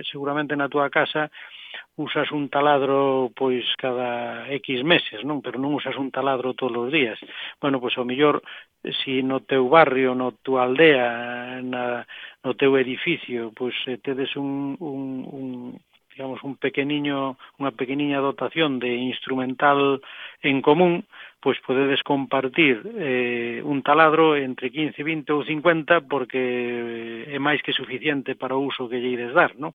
seguramente na túa casa usas un taladro pois cada X meses, non? Pero non usas un taladro todos os días. Bueno, pois ao mellor, si no teu barrio, no tua aldea, no teu edificio, pois tedes digamos, unha pequeniña dotación de instrumental en común, pois podedes compartir un taladro entre 15, 20 ou 50 porque é máis que suficiente para o uso que lle ides dar, non?